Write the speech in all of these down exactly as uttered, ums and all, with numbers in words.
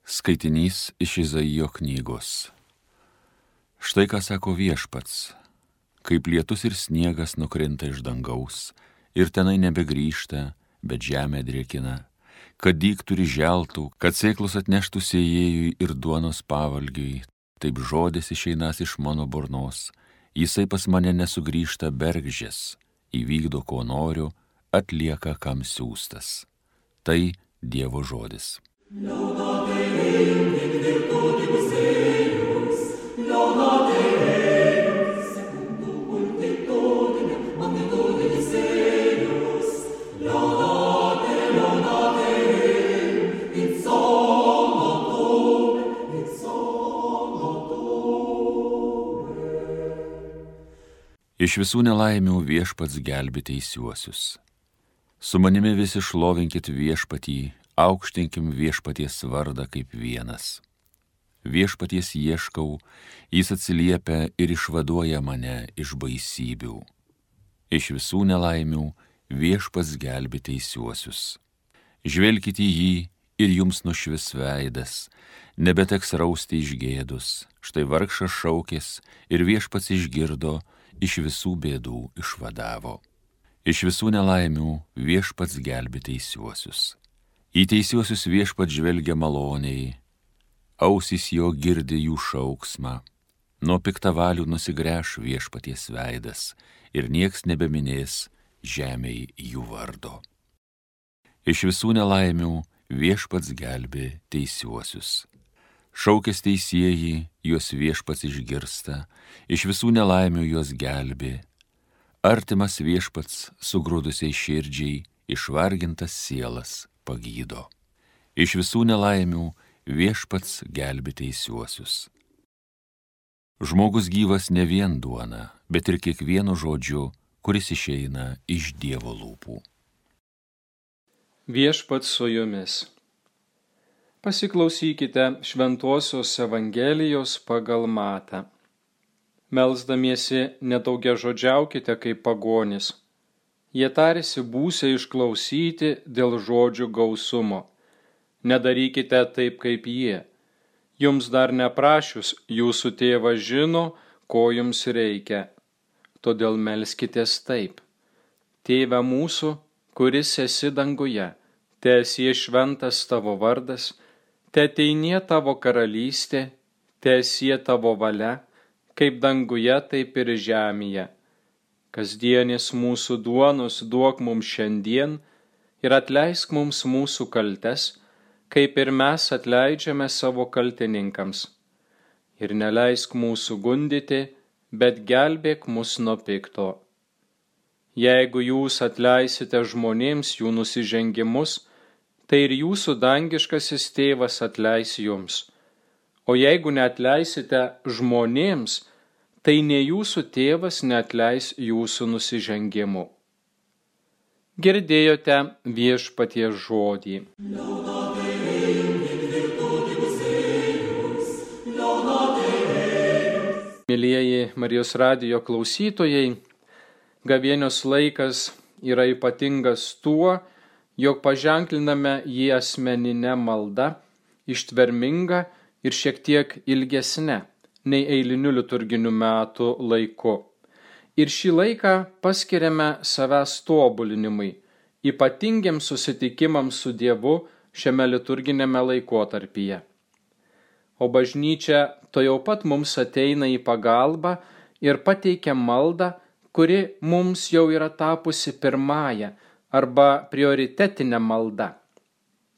Skaitinys iš Izaijo knygos. Štai ką sako Viešpats, kaip lietus ir sniegas nukrinta iš dangaus, ir tenai nebegrįžta, bet žemė drėkina, kad dygtų ir želtų, kad sėklus atneštų sėjėjui ir duonos pavalgiui, taip žodis išeinas iš mano burnos, jisai pas mane nesugrįžta bergždžias, įvykdo ko noriu, atlieka kam siųstas. Tai Dievo žodis. Laudate Deum in virtutibus eius, laudate Deum secundum multitudinem magnitudis eius, laudate, laudate Deum in somno tuum, in somno tuum. Iš visų nelaimių Viešpats gelbi teisiuosius. Su manimi visi šlovinkit Viešpatį, aukštinkim Viešpaties vardą kaip vienas. Viešpaties ieškau, jis atsiliepia ir išvaduoja mane iš baisybių. Iš visų nelaimių Viešpats gelbi teisiuosius. Žvelkite į jį ir jums nušvis veidas, nebeteks rausti iš gėdus. Štai vargšas šaukės ir Viešpats išgirdo, iš visų bėdų išvadavo. Iš visų nelaimių Viešpats gelbi teisiuosius. Į teisiuosius Viešpats žvelgia maloniai, ausys jo girdi jų šauksmą. Nuo piktavalių nusigręš Viešpaties veidas ir nieks nebeminės žemėj jų vardo. Iš visų nelaimių Viešpats gelbi teisiuosius. Šaukės teisieji, juos Viešpats išgirsta, iš visų nelaimių juos gelbi. Artimas Viešpats sugrūdusiai širdžiai, išvargintas sielas pagydo. Iš visų nelaimių Viešpats gelbi teisiuosius. Žmogus gyvas ne vien duona, bet ir kiekvienu žodžiu, kuris išeina iš Dievo lūpų. Viešpats su jumis. Pasiklausykite Šventosios Evangelijos pagal Matą. Melsdamiesi nedaugiažodžiaukite kaip pagonis. Jie tarėsi būsią išklausyti dėl žodžių gausumo. Nedarykite taip kaip jie. Jums dar neprašius, jūsų tėvas žino, ko jums reikia. Todėl melskitės taip. Tėve mūsų, kuris esi danguje, teesie šventas tavo vardas, teateinie tavo karalystė, teesie tavo valia, kaip danguje, taip ir žemėje. Kasdienis mūsų duonos duok mums šiandien ir atleisk mums mūsų kaltes, kaip ir mes atleidžiame savo kaltininkams. Ir neleisk mūsų gundyti, bet gelbėk mus nuo pikto. Jeigu jūs atleisite žmonėms jų nusižengimus, tai ir jūsų dangiškasis tėvas atleis jums. O jeigu neatleisite žmonėms, tai ne jūsų tėvas neatleis jūsų nusižengimų. Girdėjote Viešpaties žodį. Laudate Deum in virtutibus eius, laudate Deum. Mielieji Marijos radijo klausytojai, gavėnios laikas yra ypatingas tuo, jog paženkliname jį asmeninę maldą, ištvermingą ir šiek tiek ilgesnę nei eiliniu liturginiu metų laiku. Ir šį laiką paskiriame savęs tobulinimui, ypatingiams susitikimams su Dievu šiame liturginėme laikotarpyje. O bažnyčia to jau pat mums ateina į pagalbą ir pateikia maldą, kuri mums jau yra tapusi pirmąja arba prioritetinė malda.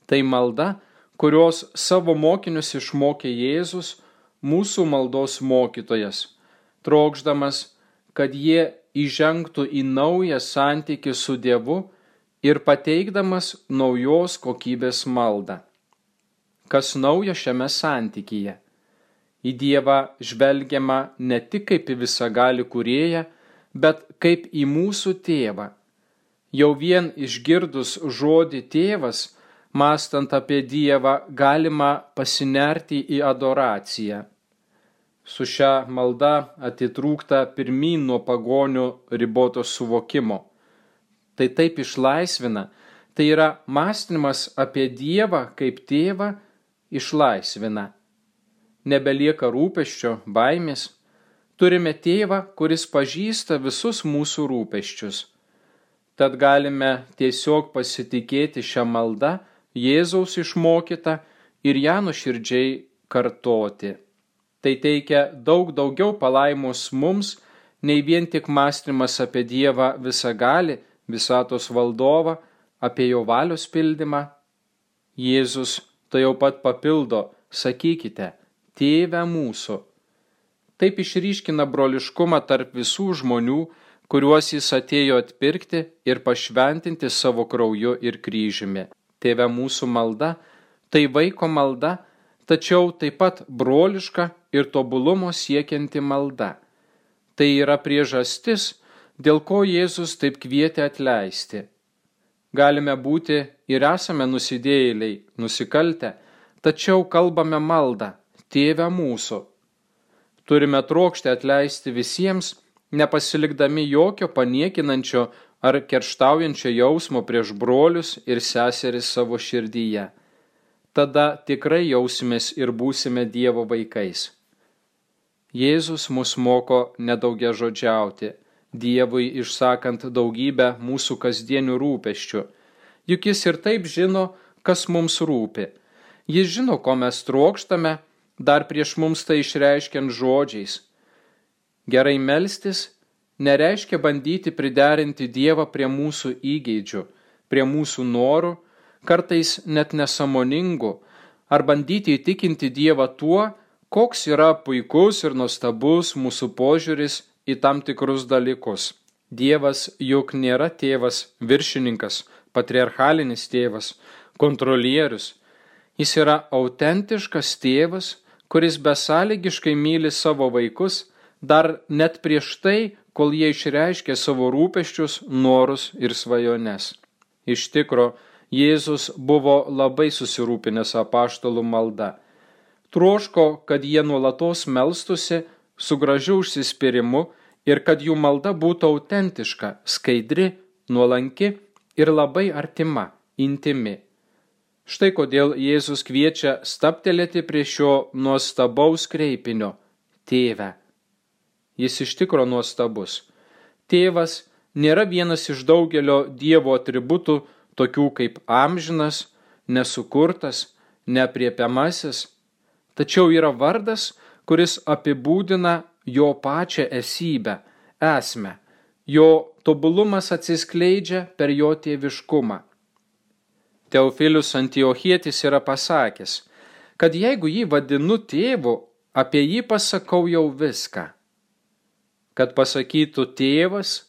Tai malda, kurios savo mokinius išmokė Jėzus, mūsų maldos mokytojas, trokšdamas, kad jie įžengtų į naują santykį su Dievu ir pateikdamas naujos kokybės maldą. Kas naujo šiame santykyje? Į Dievą žvelgiama ne tik kaip į visagalį kūrėją, bet kaip į mūsų tėvą. Jau vien išgirdus žodį tėvas, mąstant apie Dievą, galima pasinerti į adoraciją. Su šia malda atitrūkta pirmyn nuo pagonių riboto suvokimo. Tai taip išlaisvina, tai yra mąstymas apie Dievą kaip tėvą išlaisvina. Nebelieka rūpesčio, baimės. Turime tėvą, kuris pažįsta visus mūsų rūpesčius. Tad galime tiesiog pasitikėti šią maldą, Jėzaus išmokytą, ir ją nuoširdžiai kartoti. Tai teikia daug daugiau palaimos mums, nei vien tik mąstymas apie Dievą visagalį, visatos valdovą, apie jo valios pildymą. Jėzus tai jau pat papildo, sakykite, Tėve mūsų. Taip išryškina broliškumą tarp visų žmonių, kuriuos jis atėjo atpirkti ir pašventinti savo krauju ir kryžiumi. Tėve mūsų malda, tai vaiko malda, tačiau taip pat broliška ir tobulumo siekianti malda. Tai yra priežastis, dėl ko Jėzus taip kvietė atleisti. Galime būti ir esame nusidėjėliai, nusikaltę, tačiau kalbame maldą, Tėve mūsų. Turime trokšti atleisti visiems, nepasilikdami jokio paniekinančio ar kerštaujančio jausmo prieš brolius ir seseris savo širdyje. Tada tikrai jausimės ir būsime Dievo vaikais. Jėzus mus moko nedaugiažodžiauti, Dievui išsakant daugybę mūsų kasdienių rūpesčių. Juk jis ir taip žino, kas mums rūpi. Jis žino, ko mes trokštame, dar prieš mums tai išreiškiant žodžiais. Gerai melstis nereiškia bandyti priderinti Dievą prie mūsų įgeidžių, prie mūsų norų, kartais net nesąmoningų, ar bandyti įtikinti Dievą tuo, koks yra puikus ir nuostabus mūsų požiūris į tam tikrus dalykus. Dievas juk nėra tėvas, viršininkas, patriarchalinis tėvas, kontrolierius. Jis yra autentiškas tėvas, kuris besąlygiškai myli savo vaikus, dar net prieš tai, kol jie išreiškė savo rūpesčius, norus ir svajones. Iš tikro, Jėzus buvo labai susirūpinęs apaštalų malda. Troško, kad jie nuolatos melstusi su gražiu užsispyrimu ir kad jų malda būtų autentiška, skaidri, nuolanki ir labai artima, intimi. Štai kodėl Jėzus kviečia stabtelėti prie šio nuostabaus kreipinio – Tėve. Jis iš tikro nuostabus. Tėvas nėra vienas iš daugelio Dievo atributų, tokių kaip amžinas, nesukurtas, neapriepiamasis, tačiau yra vardas, kuris apibūdina jo pačią esybę, esmę. Jo tobulumas atsiskleidžia per jo tėviškumą. Teofilius Antiochietis yra pasakęs, kad jeigu jį vadinu tėvu, apie jį pasakau jau viską. Kad pasakytų tėvas,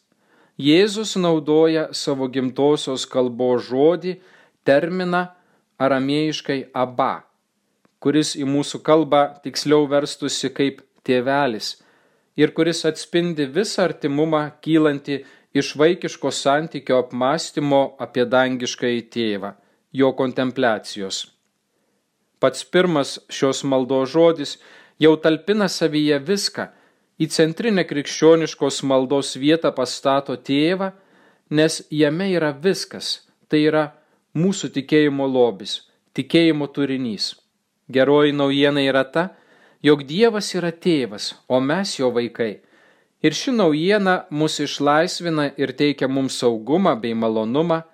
Jėzus naudoja savo gimtosios kalbos žodį, terminą aramėjiškai aba, kuris į mūsų kalbą tiksliau verstusi kaip tėvelis ir kuris atspindi visą artimumą kylantį iš vaikiško santykio apmąstymo apie dangiškąjį tėvą, jo kontempliacijos. Pats pirmas šios maldos žodis jau talpina savyje viską, į centrinę krikščioniškos maldos vietą pastato tėvą, nes jame yra viskas, tai yra mūsų tikėjimo lobis, tikėjimo turinys. Geroji naujiena yra ta, jog Dievas yra tėvas, o mes jo vaikai. Ir ši naujiena mus išlaisvina ir teikia mums saugumą bei malonumą.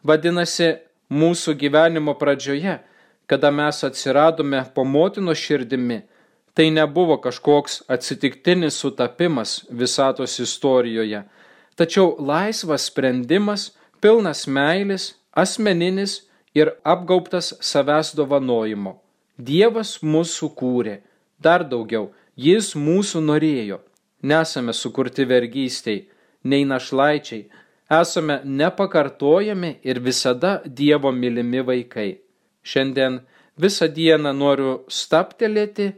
Vadinasi, mūsų gyvenimo pradžioje, kada mes atsiradome po motinos širdimi, tai nebuvo kažkoks atsitiktinis sutapimas visatos istorijoje, tačiau laisvas sprendimas, pilnas meilės, asmeninis ir apgaubtas savęs dovanojimo. Dievas mus sukūrė, dar daugiau, jis mūsų norėjo. Nesame sukurti vergystei, nei našlaičiai, esame nepakartojami ir visada Dievo mylimi vaikai. Šiandien visą dieną noriu stabtelėti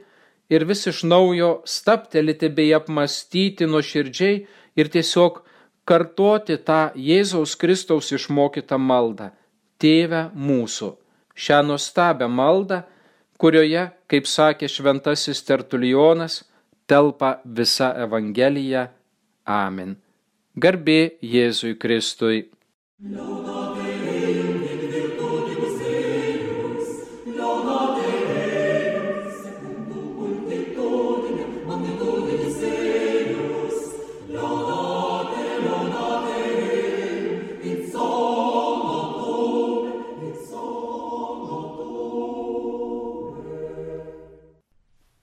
ir vis iš naujo stabtelėti bei apmąstyti nuoširdžiai ir tiesiog kartoti tą Jėzaus Kristaus išmokytą maldą – Tėve mūsų. Šią nuostabią maldą, kurioje, kaip sakė šventasis Tertulijonas, telpa visa Evangelija. Amen. Garbė Jėzui Kristui. Laudate in virtutis eius, laudate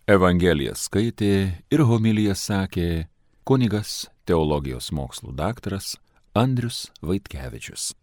Evangeliją skaitė ir homiliją sakė kunigas teologijos mokslų daktaras Andrius Vaitkevičius.